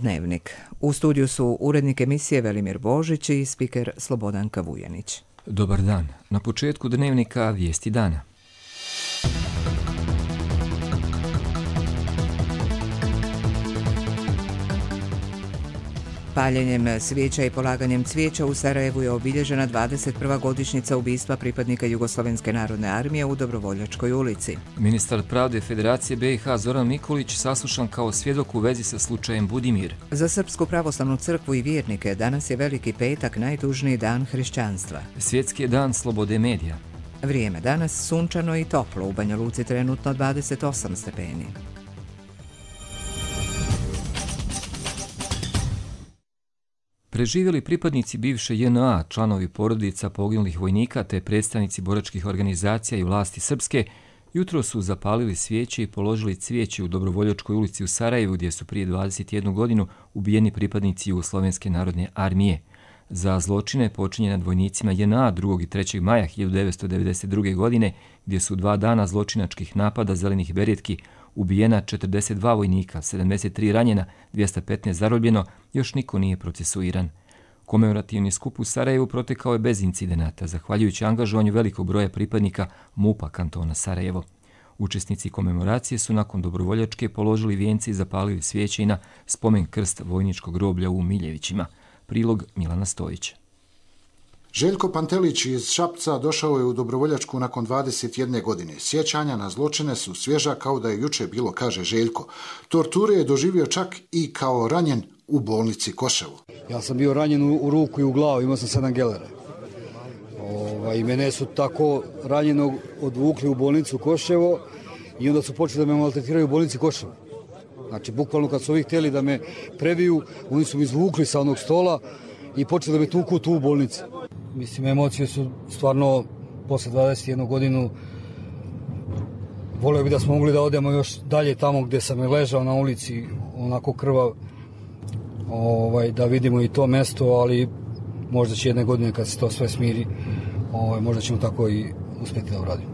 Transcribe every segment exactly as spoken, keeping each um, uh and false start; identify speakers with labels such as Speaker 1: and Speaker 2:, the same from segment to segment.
Speaker 1: Dnevnik. U studiju su urednik emisije Velimir Božić i spiker Slobodanka Vujanić.
Speaker 2: Dobar dan. Na početku Dnevnika vijesti dana.
Speaker 1: Paljenjem svijeća i polaganjem cvijeća u Sarajevu je obilježena dvadeset prva godišnjica ubistva pripadnika Jugoslovenske narodne armije u Dobrovoljačkoj ulici.
Speaker 2: Ministar pravde Federacije B i H Zoran Nikolić saslušan kao svjedok u vezi sa slučajem Budimir.
Speaker 1: Za Srpsku pravoslavnu crkvu i vjernike danas je Veliki petak, najtužniji dan hrišćanstva.
Speaker 2: Svjetski je dan slobode medija.
Speaker 1: Vrijeme danas sunčano i toplo, u Banja Luci trenutno dvadeset osam stepeni.
Speaker 2: Preživjeli pripadnici bivše J N A, članovi porodica poginulih vojnika te predstavnici boračkih organizacija i vlasti srpske, jutro su zapalili svijeće i položili cvijeće u Dobrovoljačkoj ulici u Sarajevu, gdje su prije dvadeset jednu godinu ubijeni pripadnici Jugoslovenske narodne armije. Za zločine počinjene nad vojnicima J N A drugog i trećeg maja hiljadu devetsto devedeset druge. godine, gdje su dva dana zločinačkih napada zelenih beretki ubijena četrdeset dva vojnika, sedamdeset tri ranjena, dvjesto petnaest zarobljeno, još niko nije procesuiran. Komemorativni skup u Sarajevu protekao je bez incidenata, zahvaljujući angažovanju velikog broja pripadnika M U P-a kantona Sarajevo. Učesnici komemoracije su nakon dobrovoljačke položili vijence i zapalili svijeće i na spomen krst vojničkog groblja u Miljevićima. Prilog Milana Stojića.
Speaker 3: Željko Pantelić iz Šapca došao je u Dobrovoljačku nakon dvadeset jedne godine. Sjećanja na zločine su svježa kao da je juče bilo, kaže Željko. Torture je doživio čak i kao ranjen u bolnici Koševo.
Speaker 4: Ja sam bio ranjen u ruku i u glavu, imao sam sedam gelera. Ova, I mene su tako ranjenog odvukli u bolnicu Koševo i onda su počeli da me maltretiraju u bolnici Koševo. Znači, bukvalno kad su ovi htjeli da me prebiju, oni su mi izvukli sa onog stola i počeli da me tuku tu u bolnici. Mislim, emocije su stvarno, posle dvadeset jednu godinu, volio bi da smo mogli da odemo još dalje tamo gdje sam ležao na ulici, onako krvav, ovaj, da vidimo i to mesto, ali možda će jedne godine kad se to sve smiri, ovaj, možda ćemo tako i uspjeti da uradimo.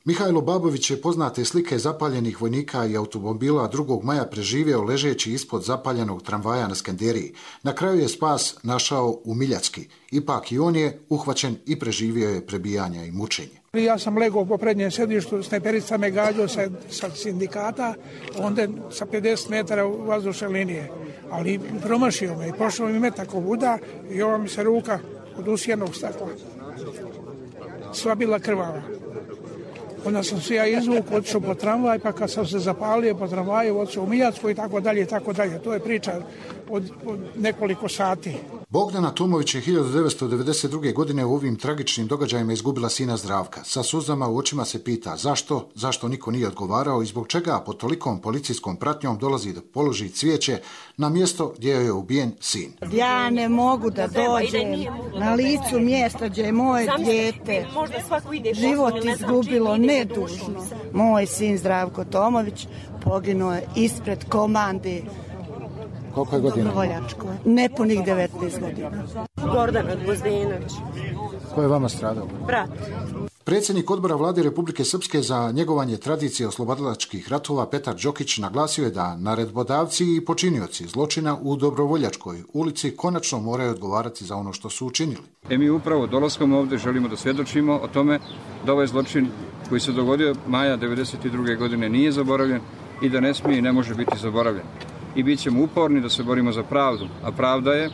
Speaker 3: Mihajlo Babović je poznate slike zapaljenih vojnika i automobila drugog maja preživio ležeći ispod zapaljenog tramvaja na Skenderiji. Na kraju je spas našao u Miljacki. Ipak i on je uhvaćen i preživio je prebijanja i mučenje.
Speaker 5: Ja sam legao po prednjem sedištu, snajperica me gađao sa, sa sindikata, onda sa pedeset metara vazdušne linije. Ali promašio me i prošao mi metak ovuda i ova mi se ruka od usijenog stakla. Sva bila krvava. Onda sam se ja izvuk, otišao po tramvaj, pa kad sam se zapalio po tramvaju, otišao u Miljacku i tako dalje, i tako dalje. To je priča od, od nekoliko sati.
Speaker 3: Bogdana Tomović je hiljadu devetsto devedeset druge. godine u ovim tragičnim događajima izgubila sina Zdravka. Sa suzama u očima se pita zašto, zašto niko nije odgovarao i zbog čega pod tolikom policijskom pratnjom dolazi da položi cvijeće na mjesto gdje je ubijen sin.
Speaker 6: Ja ne mogu da dođem na licu mjesta gdje je moje dijete život izgubilo nedužno. Moj sin Zdravko Tomović poginuo je ispred komande.
Speaker 3: Koliko je godina?
Speaker 6: Dobrovoljačkoj. Nepunih devetnaest godina.
Speaker 7: Gordana Gvozdenović.
Speaker 3: Ko je vama stradao?
Speaker 7: Brat.
Speaker 3: Predsjednik odbora vlade Republike Srpske za njegovanje tradicije oslobodilačkih ratova Petar Đokić naglasio je da naredbodavci i počinioci zločina u Dobrovoljačkoj ulici konačno moraju odgovarati za ono što su učinili.
Speaker 8: E mi upravo dolaskom ovdje želimo da svjedočimo o tome da ovaj zločin koji se dogodio maja devedeset druge. godine nije zaboravljen i da ne smije i ne može biti zaboravljen. I bit ćemo uporni da se borimo za pravdu, a pravda je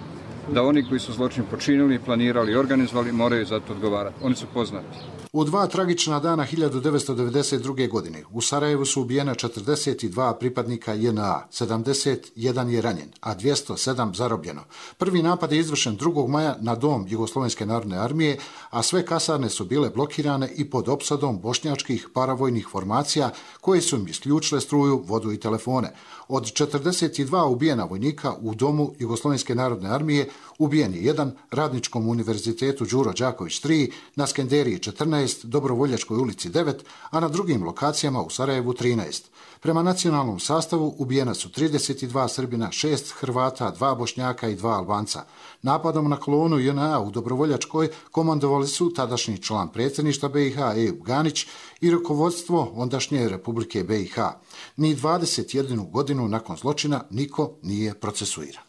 Speaker 8: da oni koji su zločin počinili, planirali i organizovali moraju za to odgovarati. Oni su poznati.
Speaker 3: U dva tragična dana hiljadu devetsto devedeset druge. godine u Sarajevu su ubijena četrdeset dva pripadnika J N A, sedamdeset jedan je ranjen, a dvjesto sedam zarobljeno. Prvi napad je izvršen drugog maja na dom Jugoslovenske narodne armije, a sve kasarne su bile blokirane i pod opsadom bošnjačkih paravojnih formacija koje su im isključile struju, vodu i telefone. Od četrdeset dva ubijena vojnika u domu Jugoslovenske narodne armije ubijen je jedan, Radničkom univerzitetu Đuro Đaković tri, na Skenderiji četrnaest, Dobrovoljačkoj ulici devet, a na drugim lokacijama u Sarajevu trinaest. Prema nacionalnom sastavu ubijena su trideset dva Srbina, šest Hrvata, dva Bošnjaka i dva Albanca. Napadom na kolonu J N A u Dobrovoljačkoj komandovali su tadašnji član predsjedništva B i H Ejub Ganić i rukovodstvo ondašnje Republike B i H. Ni dvadeset jednu godinu nakon zločina niko nije procesuiran.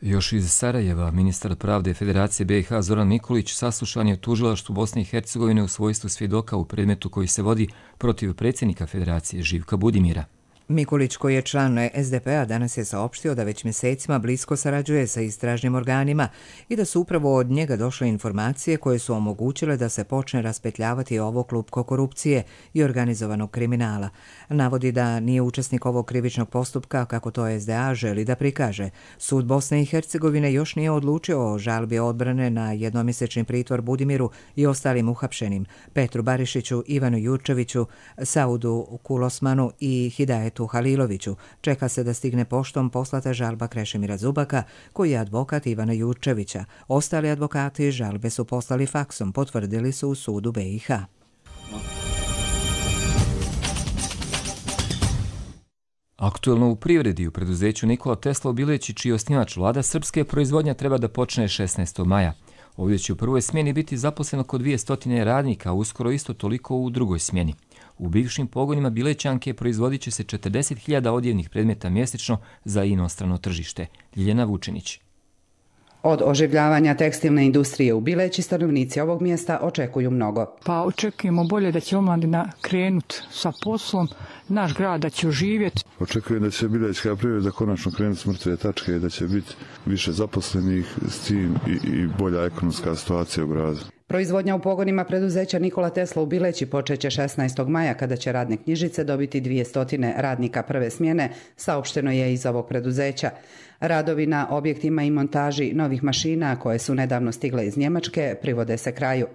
Speaker 2: Još iz Sarajeva, ministar pravde Federacije B i H Zoran Mikulić saslušan je u tužilaštvu Bosne i Hercegovine u svojstvu svjedoka u predmetu koji se vodi protiv predsjednika Federacije Živka Budimira.
Speaker 1: Mikulić, koji je član S D P-a, danas je saopštio da već mjesecima blisko sarađuje sa istražnim organima i da su upravo od njega došle informacije koje su omogućile da se počne raspetljavati ovo klupko korupcije i organizovanog kriminala. Navodi da nije učesnik ovog krivičnog postupka, kako to S D A želi da prikaže. Sud Bosne i Hercegovine još nije odlučio o žalbi odbrane na jednomjesečni pritvor Budimiru i ostalim uhapšenim, Petru Barišiću, Ivanu Jurčeviću, Saudu Kulosmanu i Hidajetu Haliloviću. Čeka se da stigne poštom poslata žalba Krešimira Zubaka, koji je advokat Ivana Jurčevića. Ostali advokati žalbe su poslali faksom, potvrdili su u sudu B i H.
Speaker 2: Aktuelno u privredi u preduzeću Nikola Tesla u Bileći, čiji osnivač Vlada Srpske, proizvodnja treba da počne šesnaestog maja. Ovdje će u prvoj smjeni biti zaposleno oko dvjesto radnika, a uskoro isto toliko u drugoj smjeni. U bivšim pogonima Bilećanke proizvodit će se četrdeset hiljada odjevnih predmeta mjesečno za inostrano tržište. Ljiljana Vučinić.
Speaker 9: Od oživljavanja tekstilne industrije u Bileći stanovnici ovog mjesta očekuju mnogo.
Speaker 10: Pa očekujemo bolje da će omladina krenuti sa poslom, naš grad da će oživjeti.
Speaker 11: Očekujem da će bilećka privreda konačno krenuti s mrtve tačke i da će biti više zaposlenih s tim i, i bolja ekonomska situacija u gradu.
Speaker 9: Proizvodnja u pogonima preduzeća Nikola Tesla u Bileći počeće šesnaestog maja, kada će radne knjižice dobiti dvjesto radnika prve smjene, saopšteno je iz ovog preduzeća. Radovi na objektima i montaži novih mašina koje su nedavno stigle iz Njemačke privode se kraju.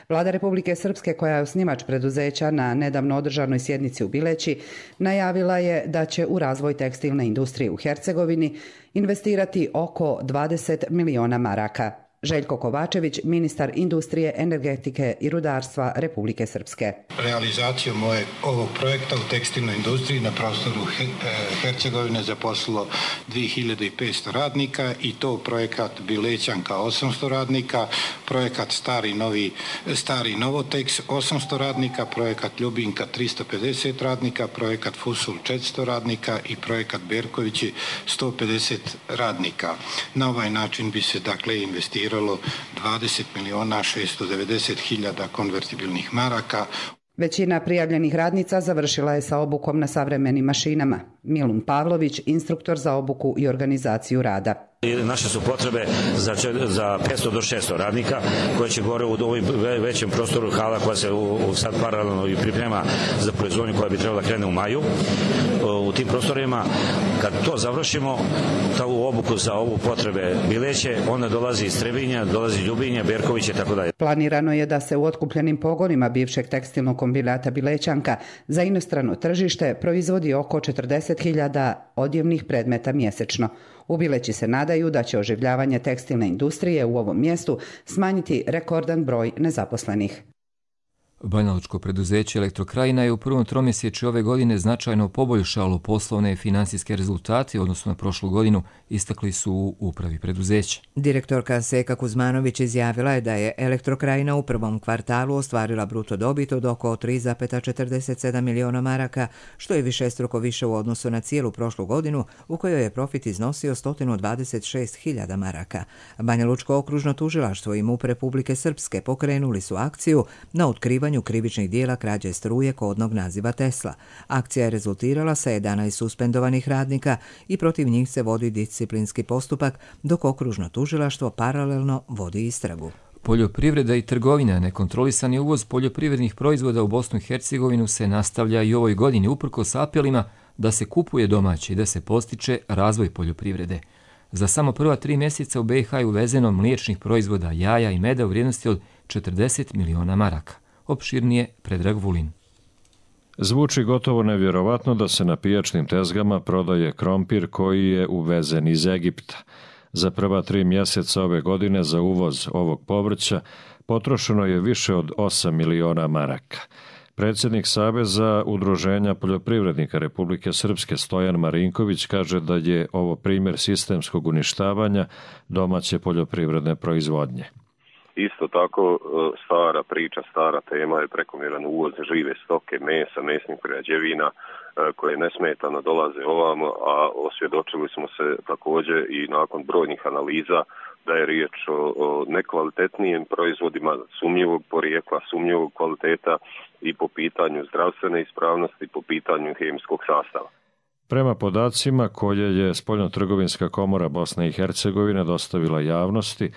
Speaker 9: Vlada Republike Srpske, koja je osnivač preduzeća, na nedavno održanoj sjednici u Bileći najavila je da će u razvoj tekstilne industrije u Hercegovini investirati oko dvadeset miliona maraka. Željko Kovačević, ministar industrije, energetike i rudarstva Republike Srpske.
Speaker 12: Realizacijom ove, ovog projekta u tekstilnoj industriji na prostoru Hercegovine zaposlilo dvije hiljade petsto radnika i to projekat Bilećanka osamsto radnika, projekat Stari, novi, Stari Novoteks osamsto radnika, projekat Ljubinka tristo pedeset radnika, projekat Fusul četiristo radnika i projekat Berkovići sto pedeset radnika. Na ovaj način bi se dakle investiralo dvadeset miliona šesto devedeset hiljada konvertibilnih maraka.
Speaker 9: Većina prijavljenih radnica završila je sa obukom na savremenim mašinama. Milun Pavlović, instruktor za obuku i organizaciju rada.
Speaker 13: Naše su potrebe za, za petsto do šesto radnika koje će gore u ovom većem prostoru hala koja se u, u sad paralelno i priprema za proizvodnju koja bi trebala da krene u maju. U tim prostorima, kad to završimo, tu obuku za ovu potrebe Bileće, onda dolazi iz Trebinja, dolazi Ljubinja, Berković i tako dalje.
Speaker 9: Planirano je da se u otkupljenim pogonima bivšeg tekstilnog kombinata Bilećanka za inostrano tržište proizvodi oko četrdeset hiljada odjevnih predmeta mjesečno. U Bileći se nadaju da će oživljavanje tekstilne industrije u ovom mjestu smanjiti rekordan broj nezaposlenih.
Speaker 2: Banjalučko preduzeće Elektrokrajina je u prvom tromjesečju ove godine značajno poboljšalo poslovne i financijske rezultate odnosno na prošlu godinu, istakli su u upravi preduzeća.
Speaker 1: Direktorka Seka Kuzmanović izjavila je da je Elektrokrajina u prvom kvartalu ostvarila bruto dobit od oko tri zarez četrdeset sedam miliona maraka, što je višestruko više u odnosu na cijelu prošlu godinu, u kojoj je profit iznosio sto dvadeset šest hiljada maraka. Banjalučko okružno tužilaštvo i MUP Republike Srpske pokrenuli su akciju na otkrivanju krivičnih dijela krađe struje kodnog naziva Tesla. Akcija je rezultirala sa jedanaest suspendovanih radnika i protiv njih se vodi disciplinski postupak, dok okružno tužilaštvo paralelno vodi istragu.
Speaker 2: Poljoprivreda i trgovina, nekontrolisani uvoz poljoprivrednih proizvoda u Bosnu i Hercegovinu se nastavlja i ovoj godini uprkos apelima da se kupuje domaće i da se postiče razvoj poljoprivrede. Za samo prva tri mjeseca u B i H je uvezeno mliječnih proizvoda, jaja i meda u vrijednosti od četrdeset miliona maraka. Opširnije Predrag Vulin.
Speaker 14: Zvuči gotovo nevjerovatno da se na pijačnim tezgama prodaje krompir koji je uvezen iz Egipta. Za prva tri mjeseca ove godine za uvoz ovog povrća potrošeno je više od osam miliona maraka. Predsjednik Saveza udruženja poljoprivrednika Republike Srpske Stojan Marinković kaže da je ovo primjer sistemskog uništavanja domaće poljoprivredne proizvodnje.
Speaker 15: Isto tako stara priča, stara tema je prekomjeran uvoz žive stoke, mesa, mesnih prerađevina koje nesmetano dolaze ovamo, a osvjedočili smo se također i nakon brojnih analiza da je riječ o, o nekvalitetnijim proizvodima sumnjivog porijekla, sumnjivog kvaliteta i po pitanju zdravstvene ispravnosti, po pitanju hemijskog sastava.
Speaker 14: Prema podacima koje je Spoljnotrgovinska komora Bosne i Hercegovine dostavila javnosti,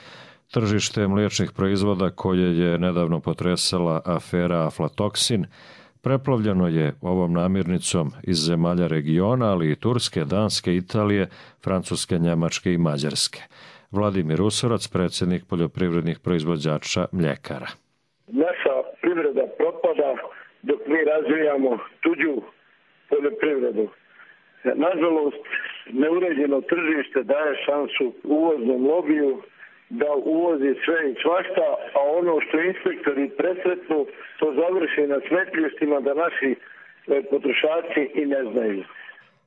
Speaker 14: tržište mliječnih proizvoda koje je nedavno potresala afera aflatoksin preplavljeno je ovom namirnicom iz zemalja regiona, ali i Turske, Danske, Italije, Francuske, Njemačke i Mađarske. Vladimir Usorac, predsjednik poljoprivrednih proizvođača mljekara.
Speaker 16: Naša privreda propada dok mi razvijamo tuđu poljoprivredu. Nažalost, neuređeno tržište daje šansu uvoznom lobiju da uvozi sve i svašta, a ono što inspektori presretnu, to završi na smetlištima da naši potrošači i ne znaju.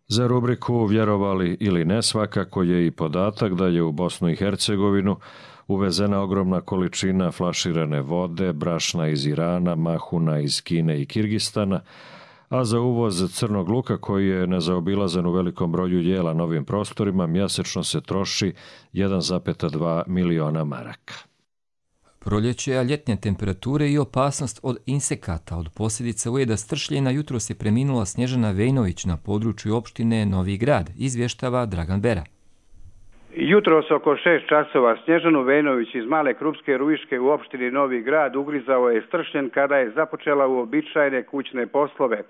Speaker 14: Za rubriku Vjerovali ili ne svakako je i podatak da je u Bosnu i Hercegovinu uvezena ogromna količina flaširane vode, brašna iz Irana, mahuna iz Kine i Kirgistana, a za uvoz crnog luka koji je nezaobilazan u velikom broju jela na ovim prostorima mjesečno se troši jedan zarez dva miliona maraka.
Speaker 2: Proljeće, a ljetne temperature i opasnost od insekata. Od posljedica ujeda stršljena jutros je preminula Snježana Vejnović na području opštine Novi Grad, izvještava Dragan Bera.
Speaker 17: Jutros oko šest časova Snježanu Vejnović iz Male Krupske Ruiške u opštini Novi Grad ugrizao je stršljen kada je započela uobičajene kućne poslove.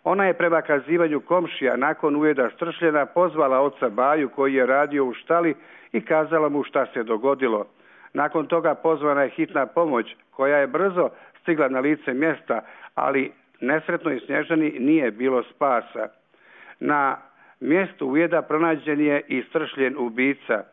Speaker 17: Ona je prema kazivanju komšija nakon ujeda stršljena pozvala oca Baju koji je radio u štali i kazala mu šta se dogodilo. Nakon toga pozvana je hitna pomoć koja je brzo stigla na lice mjesta, ali nesretnoj Snježani nije bilo spasa. Na mjestu ujeda pronađen je i stršljen ubica.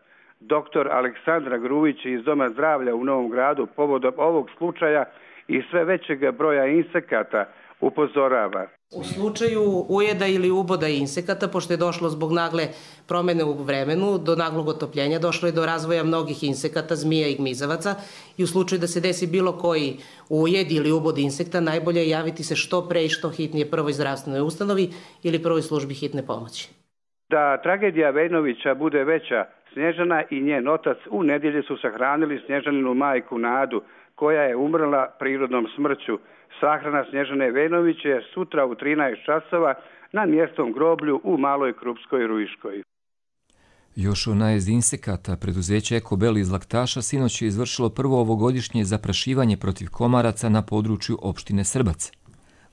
Speaker 17: Doktor Aleksandra Gruvić iz Doma zdravlja u Novom Gradu povodom ovog slučaja i sve većeg broja insekata upozorava.
Speaker 18: U slučaju ujeda ili uboda insekata, pošto je došlo zbog nagle promjene u vremenu, do naglog otopljenja, došlo je do razvoja mnogih insekata, zmija i gmizavaca i u slučaju da se desi bilo koji ujed ili ubod insekta, najbolje je javiti se što pre i što hitnije prvoj zdravstvenoj ustanovi ili prvoj službi hitne pomoći.
Speaker 17: Da tragedija Vejnovića bude veća, Snježana i njen otac u nedjelju su sahranili Snježaninu majku Nadu, koja je umrla prirodnom smrću. Sahrana Snježane Vejnović je sutra u trinaest časova na mjestom groblju u Maloj Krupskoj Ruiškoj.
Speaker 2: Još o najezdi insekata, preduzeće Ekobel iz Laktaša sinoć je izvršilo prvo ovogodišnje zaprašivanje protiv komaraca na području opštine Srbac.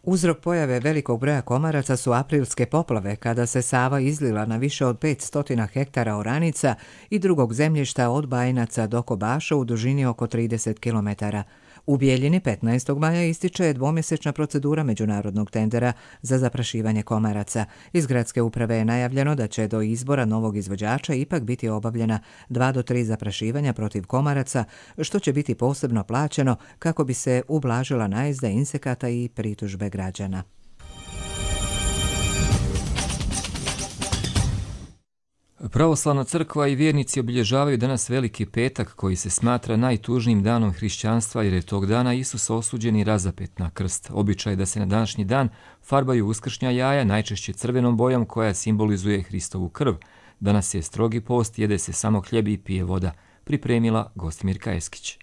Speaker 1: Uzrok pojave velikog broja komaraca su aprilske poplave, kada se Sava izlila na više od petsto hektara oranica i drugog zemljišta od Bajinaca do Kobaša u dužini oko trideset kilometara. U Bijeljini petnaestog maja ističe dvomjesečna procedura međunarodnog tendera za zaprašivanje komaraca. Iz gradske uprave je najavljeno da će do izbora novog izvođača ipak biti obavljena dva do tri zaprašivanja protiv komaraca, što će biti posebno plaćeno kako bi se ublažila najezda insekata i pritužbe građana.
Speaker 2: Pravoslavna crkva i vjernici obilježavaju danas Veliki petak koji se smatra najtužnijim danom hrišćanstva jer je tog dana Isus osuđen i razapet na krst. Običaj da se na današnji dan farbaju uskršnja jaja, najčešće crvenom bojom koja simbolizuje Hristovu krv. Danas je strogi post, jede se samo hljeb i pije voda, pripremila Gostimirka Eskić.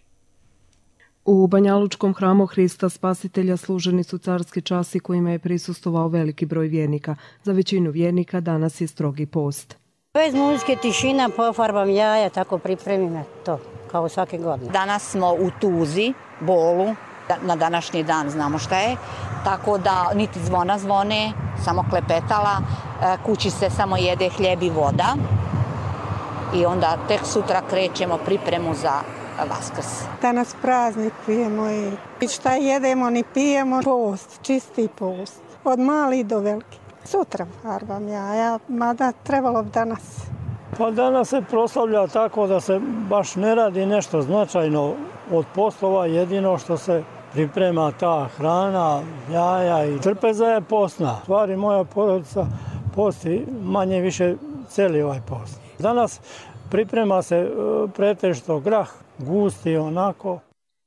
Speaker 19: U Banjalučkom hramu Hrista Spasitelja služeni su carski časi kojima je prisustvovao veliki broj vjernika. Za većinu vjernika danas je strogi post.
Speaker 20: Bez muzike, tišina, pofarbam jaja, tako pripremim to, kao svake godine.
Speaker 21: Danas smo u tuzi, bolu, na današnji dan znamo šta je, tako da niti zvona zvone, samo klepetala, kući se samo jede hljeb i voda i onda tek sutra krećemo pripremu za Vaskrs.
Speaker 22: Danas praznik pijemo i šta jedemo ni pijemo, post, čisti post, od malih do velikih. Sutra farbam jaja, mada trebalo bi danas
Speaker 4: Pa danas se proslavlja tako da se baš ne radi nešto značajno od poslova, jedino što se priprema ta hrana, jaja i trpeza je postna. Stvari moja porodica posti manje više cijeli ovaj post. Danas priprema se pretežito grah, gusti onako.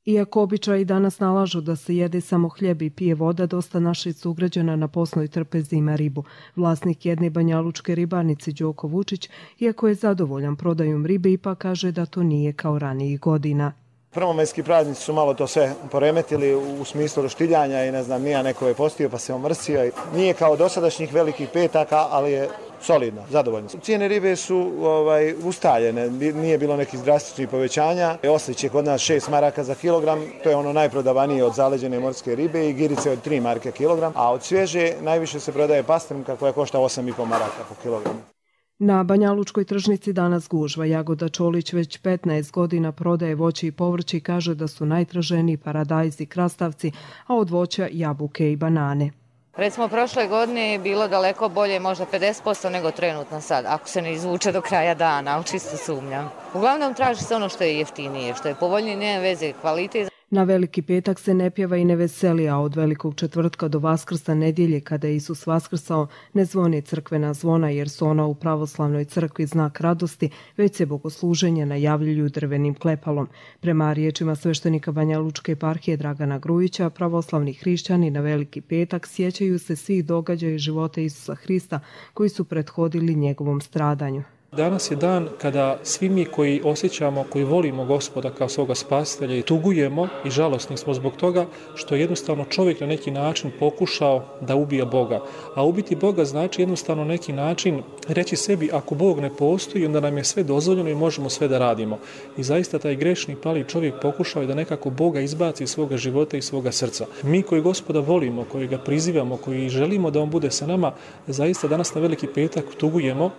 Speaker 19: Iako običaji danas nalažu da se jede samo hljeb i pije voda, dosta naših sugrađana na posnoj trpezi ima ribu. Vlasnik jedne banjalučke ribarnice Đoko Vučić, iako je zadovoljan prodajom ribe, ipak kaže da to nije kao ranijih godina.
Speaker 5: Prvomajski praznici su malo to sve poremetili u smislu roštiljanja i ne znam, nija neko je postio pa se omrsio. Nije kao dosadašnjih velikih petaka, ali je solidno, zadovoljno. Cijene ribe su ovaj, ustaljene, nije bilo nekih drastičnih povećanja. Oslić je kod nas šest maraka za kilogram, to je ono najprodavanije od zaleđene morske ribe i girice od tri marke kilogram, a od svježe najviše se prodaje pastrmka koja košta osam i po maraka po kilogramu.
Speaker 19: Na Banjalučkoj tržnici danas gužva. Jagoda Čolić već petnaest godina prodaje voće i povrće i kaže da su najtraženiji paradajzi i krastavci, a od voća jabuke i banane.
Speaker 23: Recimo, prošle godine je bilo daleko bolje, možda pedeset posto nego trenutno sad, ako se ne izvuče do kraja dana, ali čisto sumnjam. Uglavnom traži se ono što je jeftinije, što je povoljnije, nema veze kvalitet.
Speaker 19: Na Veliki petak se ne pjeva i ne veseli, a od Velikog četvrtka do Vaskrsa nedjelje, kada je Isus vaskrsao, ne zvoni crkvena zvona jer su ona u pravoslavnoj crkvi znak radosti, već se bogosluženje najavljuju drvenim klepalom. Prema riječima sveštenika Banjalučke eparhije Dragana Grujića, pravoslavni hrišćani na Veliki petak sjećaju se svih događaja života Isusa Hrista koji su prethodili njegovom stradanju.
Speaker 24: Danas je dan kada svi mi koji osjećamo, koji volimo Gospoda kao svoga spasitelja i tugujemo i žalosni smo zbog toga što je jednostavno čovjek na neki način pokušao da ubija Boga. A ubiti Boga znači jednostavno na neki način reći sebi ako Bog ne postoji, onda nam je sve dozvoljeno i možemo sve da radimo. I zaista taj grešni pali čovjek pokušao je da nekako Boga izbaci iz svoga života i svoga srca. Mi koji Gospoda volimo, koji ga prizivamo, koji želimo da on bude sa nama, zaista danas na Veliki petak tugujemo.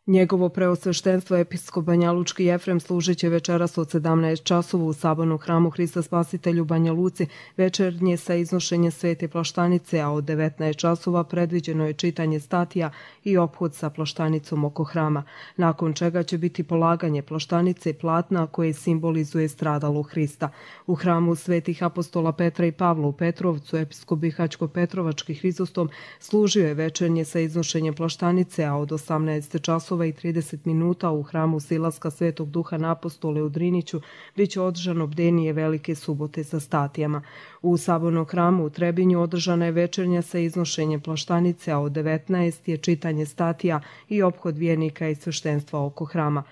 Speaker 19: Njegovo preosveštenstvo episkop Banjalučki Jefrem služit će večeras od sedamnaest časova u sabornom hramu Hrista Spasitelja u Banja Luci, večernje sa iznošenjem svete plaštanice, a od devetnaest časova predviđeno je čitanje statija i ophod sa plaštanicom oko hrama, nakon čega će biti polaganje plaštanice platna koje simbolizuje stradalu Hrista. U hramu svetih apostola Petra i Pavla u Petrovcu episkop Bihaćko-Petrovački Hrizostom služio je večernje sa iznošenjem plaštanice, a od osamnaest časova i trideset minuta u hramu Silaska Svetog Duha na Apostole u Driniću bit će održano bdenije Velike subote sa statijama. U sabornom hramu u Trebinju održana je večernja sa iznošenjem plaštanice, a od devetnaest je čitanje statija i ophod vjernika i sveštenstva oko hrama.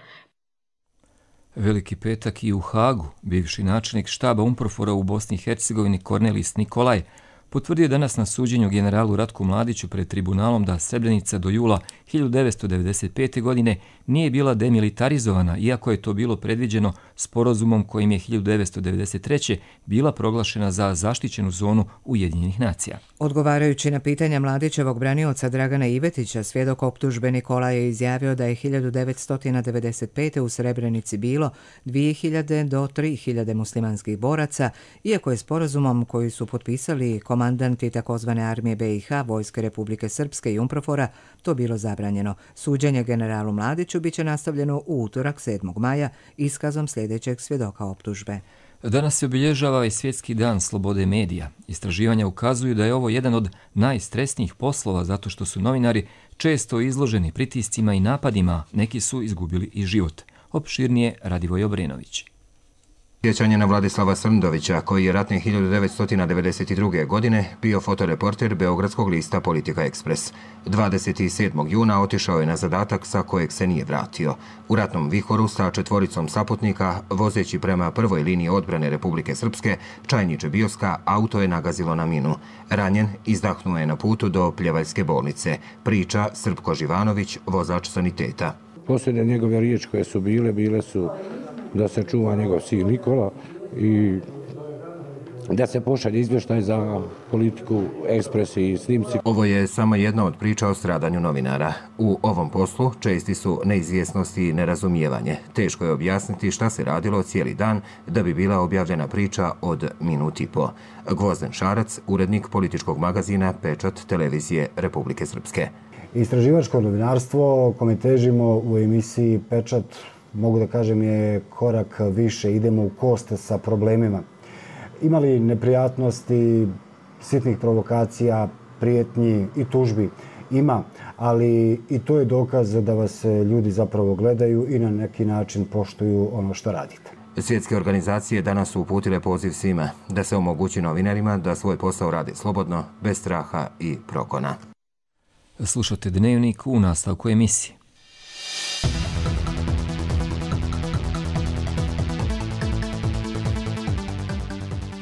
Speaker 2: Veliki petak i u Hagu, bivši načelnik štaba Umprofora u Bosni i Hercegovini Kornelis Nikolaj potvrdio danas na suđenju generalu Ratku Mladiću pred tribunalom da Srebrenica do jula hiljadu devetsto devedeset pete. godine nije bila demilitarizovana, iako je to bilo predviđeno sporazumom kojim je hiljadu devetsto devedeset treće. bila proglašena za zaštićenu zonu Ujedinjenih nacija.
Speaker 1: Odgovarajući na pitanja Mladićevog branioca Dragana Ivetića, svjedok optužbe Nikola je izjavio da je hiljadu devetsto devedeset pete. u Srebrenici bilo dvije hiljade do tri hiljade muslimanskih boraca, iako je sporazumom koji su potpisali komandanti takozvane armije be i ha, Vojske Republike Srpske i Umprofora, to bilo zabranjeno. Suđenje generalu Mladiću biće nastavljeno u utorak sedmog maja iskazom sljedećeg svjedoka optužbe.
Speaker 2: Danas se obilježava i Svjetski dan slobode medija. Istraživanja ukazuju da je ovo jedan od najstresnijih poslova zato što su novinari često izloženi pritiscima i napadima, neki su izgubili i život. Opširnije Radivoj Obrenović.
Speaker 25: Sjećanje na Vladislava Srndovića, koji je ratne hiljadu devetsto devedeset druge. godine bio fotoreporter beogradskog lista Politika Ekspres. dvadeset sedmog juna otišao je na zadatak sa kojeg se nije vratio. U ratnom vihoru sa četvoricom saputnika, vozeći prema prvoj liniji odbrane Republike Srpske, Čajniče Bioska, auto je nagazilo na minu. Ranjen, izdahnuo je na putu do Pljevaljske bolnice. Priča Srpko Živanović, vozač saniteta.
Speaker 26: Posljednje njegove riječi koje su bile, bile su da se čuva njegov sin Nikola i da se pošalje izvještaj za Politiku Ekspres i snimci.
Speaker 25: Ovo je samo jedna od priča o stradanju novinara. U ovom poslu česti su neizvjesnost i nerazumijevanje. Teško je objasniti šta se radilo cijeli dan da bi bila objavljena priča od minut i po. Gvozden Šarac, urednik političkog magazina Pečat televizije Republike Srpske.
Speaker 3: Istraživačko novinarstvo kome težimo u emisiji Pečat, mogu da kažem, je korak više, idemo u kost sa problemima. Imali neprijatnosti, sitnih provokacija, prijetnji i tužbi? Ima, ali i to je dokaz da vas ljudi zapravo gledaju i na neki način poštuju ono što radite.
Speaker 25: Svjetske organizacije danas su uputile poziv svima da se omogući novinarima da svoj posao rade slobodno, bez straha i progona.
Speaker 2: Slušate Dnevnik u nastavku emisije.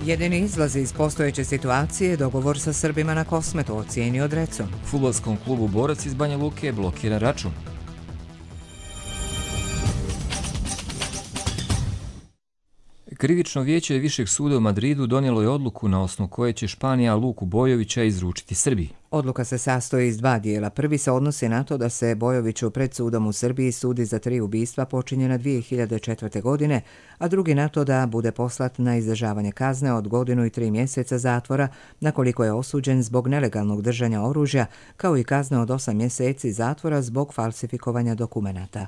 Speaker 1: Jedini izlaz iz postojeće situacije je dogovor sa Srbima na Kosmetu, ocijenio Drecun.
Speaker 2: Fudbalskom klubu Borac iz Banja Luke je blokiran račun. Krivično vijeće Višeg suda u Madridu donijelo je odluku na osnovu koje će Španija Luku Bojovića izručiti Srbiji.
Speaker 1: Odluka se sastoji iz dva dijela. Prvi se odnosi na to da se Bojoviću pred sudom u Srbiji sudi za tri ubistva počinjena dvije hiljade četvrte. godine, a drugi na to da bude poslat na izdržavanje kazne od godinu i tri mjeseca zatvora, na koliko je osuđen zbog nelegalnog držanja oružja, kao i kazne od osam mjeseci zatvora zbog falsifikovanja dokumenata.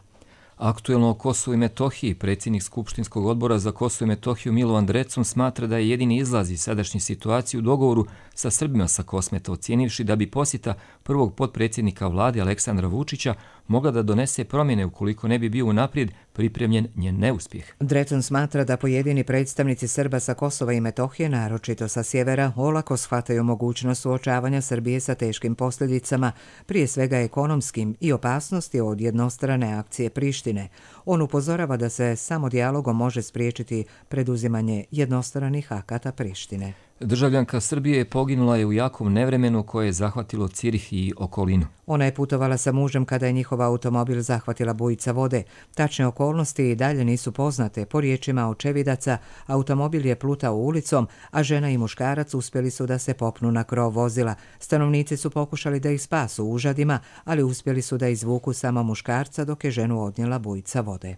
Speaker 2: Aktuelno o Kosovu i Metohiji, predsjednik Skupštinskog odbora za Kosovo i Metohiju Milovan Drecun smatra da je jedini izlaz iz sadašnje situacije u dogovoru sa Srbima sa Kosmeta, ocijenivši da bi posjeta prvog potpredsjednika vlade Aleksandra Vučića mogla da donese promjene ukoliko ne bi bio unaprijed pripremljen njen neuspjeh.
Speaker 1: Drecun smatra da pojedini predstavnici Srba sa Kosova i Metohije, naročito sa sjevera, olako shvataju mogućnost suočavanja Srbije sa teškim posljedicama, prije svega ekonomskim, i opasnosti od jednostrane akcije Prištine. On upozorava da se samo dijalogom može spriječiti preduzimanje jednostranih akata Prištine.
Speaker 2: Državljanka Srbije poginula je u jakom nevremenu koje je zahvatilo Cirih i okolinu.
Speaker 1: Ona je putovala sa mužem kada je njihov automobil zahvatila bujica vode. Tačne okolnosti i dalje nisu poznate. Po riječima očevidaca, automobil je plutao ulicom, a žena i muškarac uspjeli su da se popnu na krov vozila. Stanovnici su pokušali da ih spasu užadima, ali uspjeli su da izvuku samo muškarca dok je ženu odnijela bujica vode.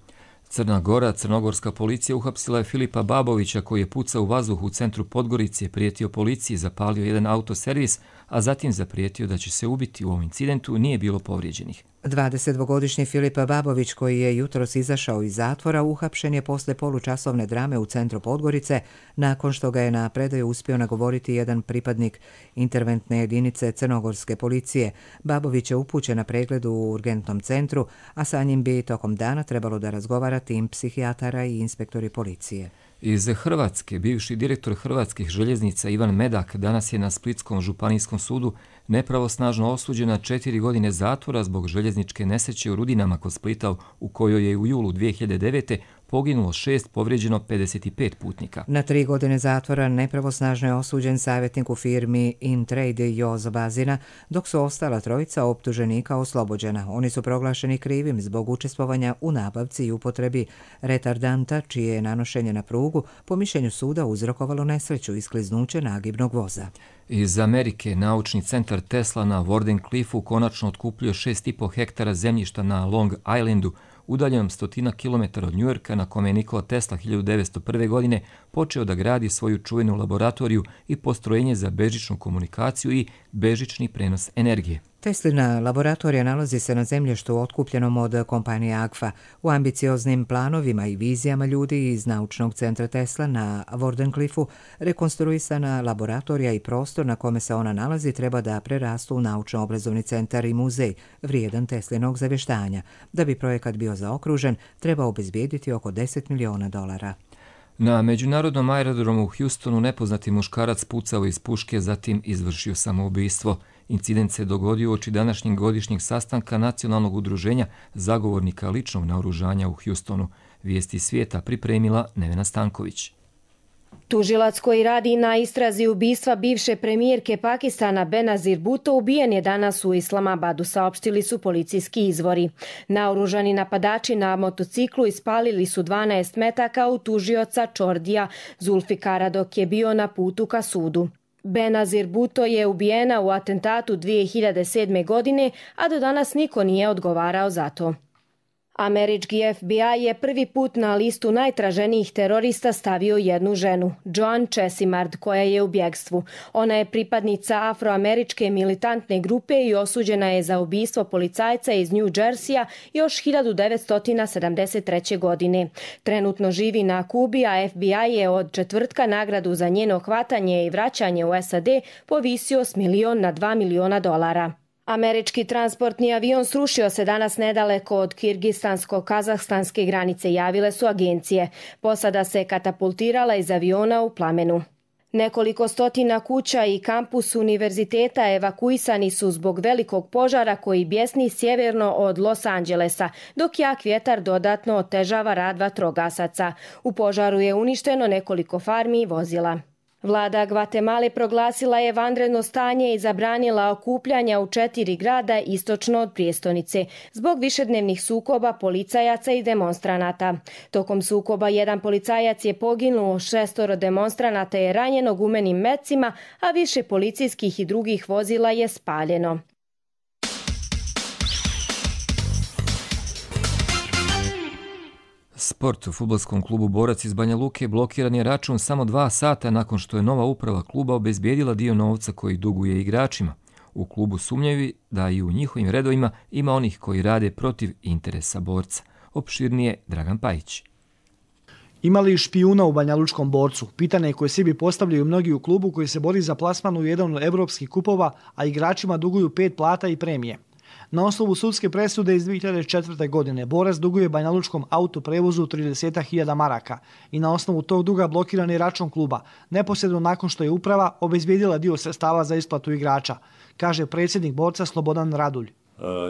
Speaker 2: Crna Gora, crnogorska policija uhapsila je Filipa Babovića koji je pucao u vazduh u centru Podgorice, prijetio policiji, zapalio jedan autoservis, a zatim zaprijetio da će se ubiti. U ovom incidentu nije bilo povrijeđenih.
Speaker 1: dvadesetdvogodišnji Filip Babović, koji je jutros izašao iz zatvora, uhapšen je posle polučasovne drame u centru Podgorice, nakon što ga je na predaju uspio nagovoriti jedan pripadnik interventne jedinice crnogorske policije. Babović je upućen na pregled u urgentnom centru, a sa njim bi tokom dana trebalo da razgovara tim psihijatara i inspektori policije.
Speaker 2: Iz Hrvatske, bivši direktor Hrvatskih željeznica Ivan Medak danas je na Splitskom županijskom sudu nepravosnažno osuđen na četiri godine zatvora zbog željezničke nesreće u Rudinama kod Splita, u kojoj je u julu dvije hiljade devete. poginulo šest, povrijeđeno pedeset pet putnika.
Speaker 1: Na tri godine zatvora nepravosnažno je osuđen savjetnik u firmi Intrade Jozo Bazina, dok su ostala trojica optuženika oslobođena. Oni su proglašeni krivim zbog učestvovanja u nabavci i upotrebi retardanta, čije je nanošenje na prugu po mišljenju suda uzrokovalo nesreću i skliznuće nagibnog voza.
Speaker 2: Iz Amerike naučni centar Tesla na Wardenclyffu konačno otkupljuje šest i po hektara zemljišta na Long Islandu, udaljenom stotina kilometara od Njujorka, na kome je Nikola Tesla hiljadu devetsto prve. godine počeo da gradi svoju čuvenu laboratoriju i postrojenje za bežičnu komunikaciju i bežični prenos energije.
Speaker 1: Teslina laboratorija nalazi se na zemljištu otkupljenom od kompanije Agfa. U ambicioznim planovima i vizijama ljudi iz naučnog centra Tesla na Wardenclyffu rekonstruisana laboratorija i prostor na kome se ona nalazi treba da prerastu u naučno-obrazovni centar i muzej, vrijedan Teslinog zavještanja. Da bi projekat bio zaokružen, treba obezbijediti oko deset miliona dolara.
Speaker 2: Na međunarodnom aerodromu u Houstonu nepoznati muškarac pucao iz puške, zatim izvršio samoubistvo. Incident se dogodio uoči današnjeg godišnjeg sastanka Nacionalnog udruženja zagovornika ličnog naoružanja u Houstonu. Vijesti svijeta pripremila Nevena Stanković.
Speaker 6: Tužilac koji radi na istrazi ubistva bivše premijerke Pakistana Benazir Bhutto ubijen je danas u Islamabadu, saopštili su policijski izvori. Naoružani napadači na motociklu ispalili su dvanaest metaka u tužioca Čordija Zulfikara dok je bio na putu ka sudu. Benazir Bhutto je ubijena u atentatu dvije hiljade sedme. godine, a do danas niko nije odgovarao za to. Američki F B I je prvi put na listu najtraženijih terorista stavio jednu ženu, Joan Chesimard, koja je u bjegstvu. Ona je pripadnica afroameričke militantne grupe i osuđena je za ubistvo policajca iz New Jerseya još hiljadu devetsto sedamdeset treće. godine. Trenutno živi na Kubi, a F B I je od četvrtka nagradu za njeno hvatanje i vraćanje u S A D povisio s milion na dva miliona dolara. Američki transportni avion srušio se danas nedaleko od kirgistansko-kazahstanske granice, javile su agencije. Posada se katapultirala iz aviona u plamenu. Nekoliko stotina kuća i kampus univerziteta evakuisani su zbog velikog požara koji bjesni sjeverno od Los Angelesa, dok jak vjetar dodatno otežava rad vatrogasaca. U požaru je uništeno nekoliko farmi i vozila. Vlada Gvatemale proglasila je vanredno stanje i zabranila okupljanja u četiri grada istočno od prijestolnice zbog višednevnih sukoba policajaca i demonstranata. Tokom sukoba jedan policajac je poginuo, šestoro demonstranata je ranjeno gumenim mecima, a više policijskih i drugih vozila je spaljeno.
Speaker 2: Sport. U fudbalskom klubu Borac iz Banja Luke blokiran je račun samo dva sata nakon što je nova uprava kluba obezbijedila dio novca koji duguje igračima. U klubu sumnjaju da i u njihovim redovima ima onih koji rade protiv interesa Borca. Opširnije Dragan Pajić.
Speaker 7: Ima li špijuna u banjalučkom Borcu? Pitanje koje sebi postavljaju mnogi u klubu koji se bori za plasman u jedan od evropskih kupova, a igračima duguju pet plata i premije. Na osnovu sudske presude iz dvije hiljade četvrte. godine Borac duguje banjalučkom autoprevozu trideset hiljada maraka i na osnovu tog duga blokiran je račun kluba, neposredno nakon što je uprava obezbijedila dio sredstava za isplatu igrača, kaže predsjednik Borca Slobodan Radulj.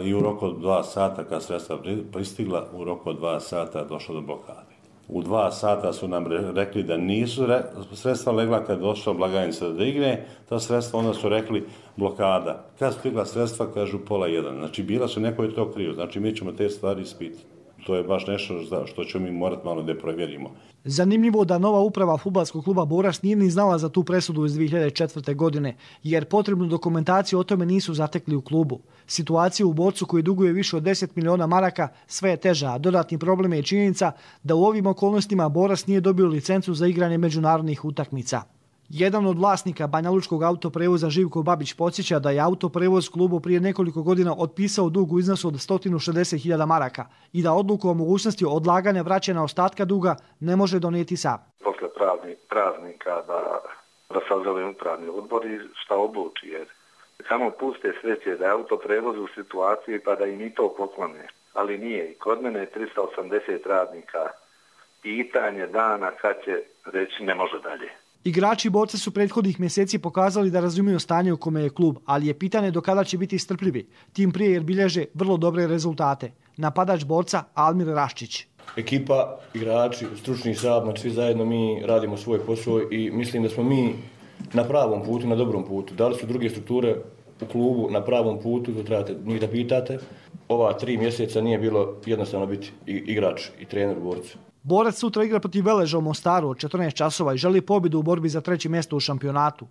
Speaker 8: I u roku od dva sata kad sredstva pristigla, u roku od dva sata došlo do blokade. U dva sata su nam rekli da nisu re, sredstva legla kad došla blagajnica da igne, ta sredstva onda su rekli blokada. Kad stigla sredstva, kažu pola jedan. Znači bila su, neko je to krivo, znači mi ćemo te stvari ispitati. To je baš nešto što ćemo mi morati malo da provjerimo.
Speaker 7: Zanimljivo da nova uprava fudbalskog kluba Borac nije ni znala za tu presudu iz dvije hiljade četvrte. godine, jer potrebnu dokumentaciju o tome nisu zatekli u klubu. Situacija u Borcu koji duguje više od deset miliona maraka sve je teža, a dodatni problem je činjenica da u ovim okolnostima Borac nije dobio licencu za igranje međunarodnih utakmica. Jedan od vlasnika banjalučkog autoprevoza Živko Babić podsjeća da je autoprevoz klubu prije nekoliko godina otpisao dug u iznosu od sto šezdeset hiljada maraka i da odluku o mogućnosti odlaganja vraćanja ostatka duga ne može donijeti sam.
Speaker 10: Posle pravni, praznika da, da sazove upravni odbor i šta odluči, jer samo puste sreće da je autoprevoz u situaciji pa da im i to poklone, ali nije. I kod mene je tristo osamdeset radnika, pitanje dana kad će reći ne može dalje.
Speaker 7: Igrači Borca su prethodnih mjeseci pokazali da razumiju stanje u kome je klub, ali je pitanje do kada će biti strpljivi, tim prije jer bilježe vrlo dobre rezultate. Napadač Borca Almir Raščić.
Speaker 11: Ekipa, igrači, stručni štab, znači svi zajedno mi radimo svoj posao i mislim da smo mi na pravom putu, na dobrom putu. Da li su druge strukture u klubu na pravom putu, to trebate njih da pitate. Ova tri mjeseca nije bilo jednostavno biti igrač i trener u Borcu.
Speaker 7: Borac sutra igra protiv Veleža u Mostaru od četrnaest časova i želi pobjedu u borbi za treće mjesto u šampionatu.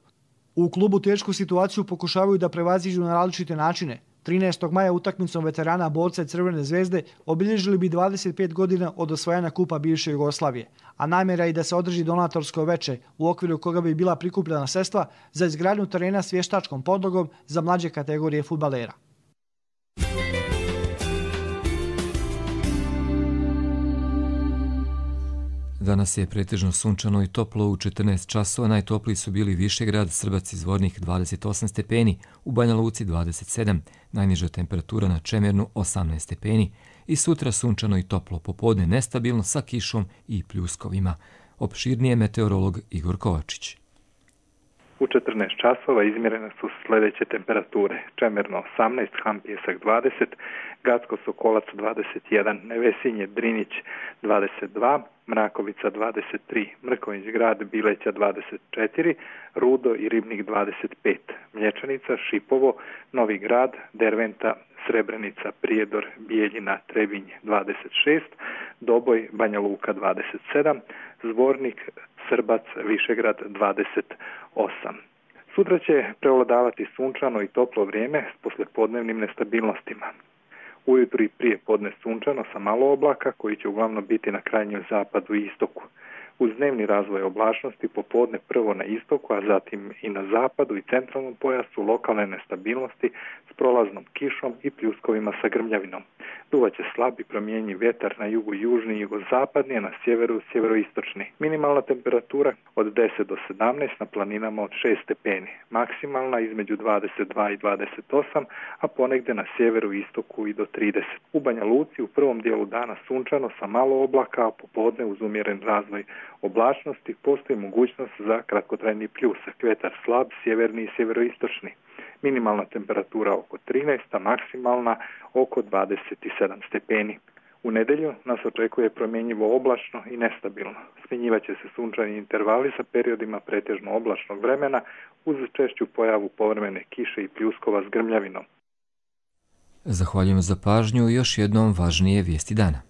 Speaker 7: U klubu tešku situaciju pokušavaju da prevaziđu na različite načine. trinaestog maja utakmicom veterana Borca i Crvene zvezde obilježili bi dvadeset pet godina od osvajanja kupa bivše Jugoslavije, a namjera je da se održi donatorsko veče u okviru koga bi bila prikupljena sredstva za izgradnju terena s vještačkom podlogom za mlađe kategorije fudbalera.
Speaker 2: Danas je pretežno sunčano i toplo u četrnaest časova, najtopliji su bili Višegrad, Srbac i Zvornik dvadeset osam stepeni, u Banja Luci dvadeset sedam, najniža temperatura na Čemernu osamnaest stepeni i sutra sunčano i toplo, popodne nestabilno sa kišom i pljuskovima. Opširnije meteorolog Igor Kovačić.
Speaker 12: U četrnaest časova izmjerene su sljedeće temperature. Čemerno osamnaest, Han Pjesak dvadeset, Gacko Sokolac dvadeset jedan, Nevesinje Drinić dvadeset dva, Mrakovica dvadeset tri, Mrkonjić Grad Bileća dvadeset četiri, Rudo i Ribnik dvadeset pet, Mlječanica, Šipovo, Novi Grad, Derventa, Srebrenica, Prijedor, Bijeljina, Trebinj dvadeset šest, Doboj, Banja Luka dvadeset sedam, Zvornik, Srbac, Višegrad dvadeset osam. Sutra će prevladavati sunčano i toplo vrijeme s poslijepodnevnim nestabilnostima. Ujutru i prije podne sunčano sa malo oblaka koji će uglavnom biti na krajnjem zapadu i istoku. Uz dnevni razvoj oblačnosti popodne prvo na istoku, a zatim i na zapadu i centralnom pojasu lokalne nestabilnosti s prolaznom kišom i pljuskovima sa grmljavinom. Duvaće slab i promjenjiv vjetar na jugu južni i jugozapadni, a na sjeveru sjeveroistočni. Minimalna temperatura od deset do sedamnaest, na planinama od šest stepeni. Maksimalna između dvadeset dva i dvadeset osam, a ponegde na sjeveru i istoku i do trideset. U Banja Luci u prvom dijelu dana sunčano sa malo oblaka, a popodne uz umjeren razvoj oblačnosti postoji mogućnost za kratkotrajni pljusak. Vjetar slab, sjeverni i sjeveroistočni. Minimalna temperatura oko trinaest, a maksimalna oko dvadeset sedam stepeni. U nedjelju nas očekuje promjenjivo oblačno i nestabilno. Smjenjivaće se sunčani intervali sa periodima pretežno oblačnog vremena uz češću pojavu povremene kiše i pljuskova s grmljavinom.
Speaker 2: Zahvaljujem za pažnju i još jednom važnije vijesti dana.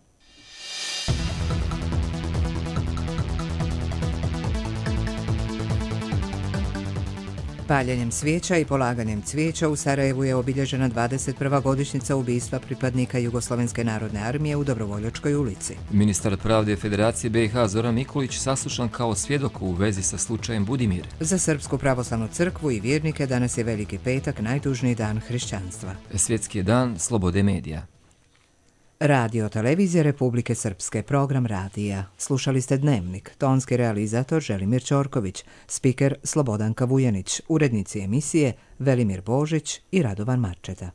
Speaker 1: Paljenjem svijeća i polaganjem cvijeća u Sarajevu je obilježena dvadeset prva godišnjica ubistva pripadnika Jugoslovenske narodne armije u Dobrovoljačkoj ulici.
Speaker 2: Ministar pravde Federacije B i H Zoran Mikulić saslušan kao svjedok u vezi sa slučajem Budimir.
Speaker 1: Za Srpsku pravoslavnu crkvu i vjernike danas je Veliki petak, najtužniji dan hrišćanstva.
Speaker 2: Svjetski je dan slobode medija.
Speaker 1: Radio Televizija Republike Srpske, program radija. Slušali ste Dnevnik, tonski realizator Želimir Ćorković, spiker Slobodanka Vujanić, urednici emisije Velimir Božić i Radovan Marčeta.